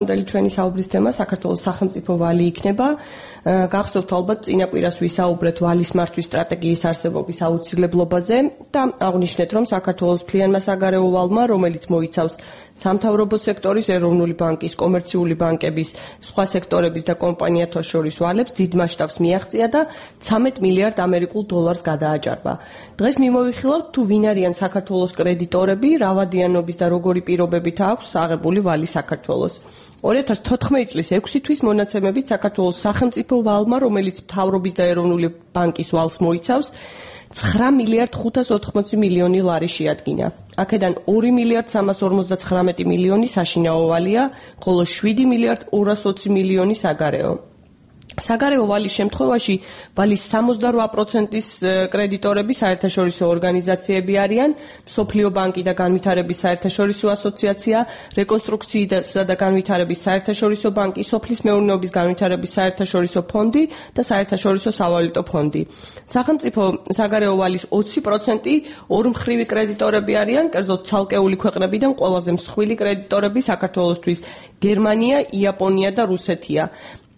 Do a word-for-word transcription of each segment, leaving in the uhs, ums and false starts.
ჩვენი საუბრის თემა საქართველოს სახელმწიფო ვალი იქნება. გახსოვთ ალბათ წინა კვირას ვისაუბრეთ ვალის მართვის სტრატეგიის არსებობის აუცილებლობაზე და აღნიშნეთ, რომ საქართველოს მთლიანმა საგარეო ვალმა, რომელიც მოიცავს სამთავრობო სექტორის, ეროვნული ბანკის, კომერციული ბანკების, სხვა სექტორების და კომპანიათა შორის ვალებს დიდ მასშტაბს მიაღწია და ცამეტ მილიარდ ამერიკულ დოლარს გადააჭარბა. დღეს მიმოვიხილავთ თუ ვინ არიან საქართველოს კრედიტორები, რა ვადიანობის და როგორი პირობებით აქვს აღებული ვალი საქართველოს. ორი ათას თოთხმეტი წლის ექვსი თვის მონაცემებით საქართველოს სახელმწიფო ვალმა, რომელიც მთავრობის და ეროვნული ბანკის ვალს მოიცავს, ცხრა მილიარდ ხუთას ოთხმოცი მილიონი ლარი შეადგინა. აქედან ორი მილიარდ სამას ორმოცდაცხრამეტი მილიონი საშინაო ვალია, ხოლო შვიდი მილიარდ ორას ოცი მილიონი საგარეო. საგარეო ვალის შემთხვევაში ვალის სამოცდარვა პროცენტის კრედიტორები საერთაშორისო ორგანიზაციები არიან, მსოფლიო ბანკი და განვითარების საერთაშორისო ასოციაცია, რეკონსტრუქციისა და განვითარების საერთაშორისო ბანკი, სოფლის მეურნეობის განვითარების საერთაშორისო ფონდი და საერთაშორისო სავალუტო ფონდი. სახელმწიფო საგარეო ვალის ოცი პროცენტი ორმხრივი კრედიტორები არიან, კერძოდ ცალკეული ქვეყნებიდან ყველაზე მსხვილი კრედიტორები საქართველოსთვის გერმანია, იაპონია და რუსეთია.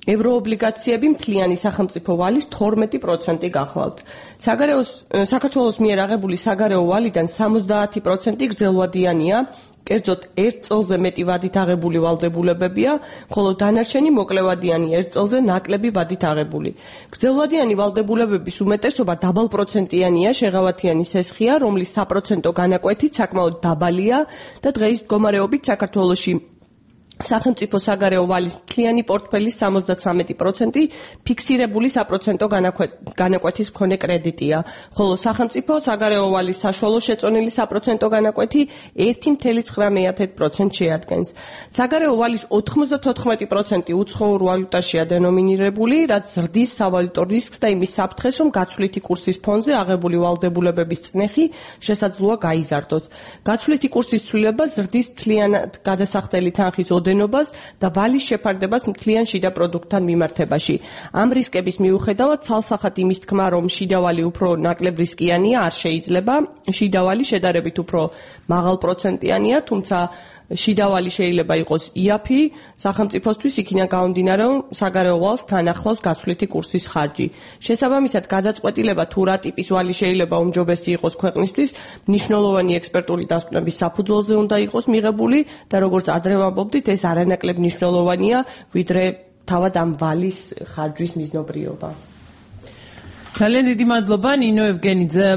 ევროობლიგაციები მთლიანი სახელმწიფო ვალის თორმეტი პროცენტი გახლავთ. საგარეოს საქართველოს მიერ აღებული საგარეო ვალიდან სამოცდაათი პროცენტი გრძელვადიანია, კერძოდ ერთ წელზე მეტი ვადით აღებული ვალდებულებებია, ხოლო დანარჩენი მოკლევადიანი ერთ წელზე ნაკლები ვადით აღებული. გრძელვადიანი ვალდებულებების უმეტესობა დაბალპროცენტიანია, შეღავათიანი სესხია, რომლის საპროცენტო განაკვეთით საკმაოდ დაბალია და დღეის მდგომარეობით საქართველოში სახელმწიფო საგარეო ვალის მთლიანი პორტფელის სამოცდაცამეტი პროცენტი ფიქსირებული საპროცენტო განაკვეთის მქონე კრედიტია, ხოლო სახელმწიფო საგარეო ვალის საშუალო შეწონილი საპროცენტო განაკვეთი ერთი მცდე ცხრა პროცენტს შეადგენს. საგარეო ვალის ოთხმოცდათოთხმეტი პროცენტი უცხოურ ვალუტაშია დენომინირებული, რაც ზრდის სავალუტო რისკს და იმის საფრთხეს, რომ გაცვლითი კურსის ფონზე აღებული ვალდებულებების წნეხი შესაძლოა გაიზარდოს. გაცვლითი კურსის ცვლილება ზრდის მთლიანად გადასახდელი თანხის ოდენობას და ვალის შეფარდებას მთლიან შიდა პროდუქტთან მიმართებაში. ამ რისკების მიუხედავად, ცალსახად იმის თქმა, რომ შიდა ვალი უფრო ნაკლებ რისკიანია, არ შეიძლება. შიდა ვალი შედარებით უფრო მაღალპროცენტიანია, თუმცა შიდა ვალი შეიძლება იყოს იაფი სახელმწიფოსთვის, იქიდან გამომდინარე, რომ საგარეო ვალს თან ახლავს გაცვლითი კურსის ხარჯი. შესაბამისად, გადაწყვეტილება თუ რა ტიპის ვალი შეიძლება უმჯობესი იყოს ქვეყნისთვის, მნიშვნელოვანი ექსპერტული დასკვნების საფუძველზე უნდა იყოს მიღებული და როგორც ადრე ვამბობდით, ეს არანაკლებ მნიშვნელოვანია, ვიდრე თავად ამ ვალის ხარჯვის მიზნობრიობა. ძალიან დიდი მადლობა ნინო ევგენიძე.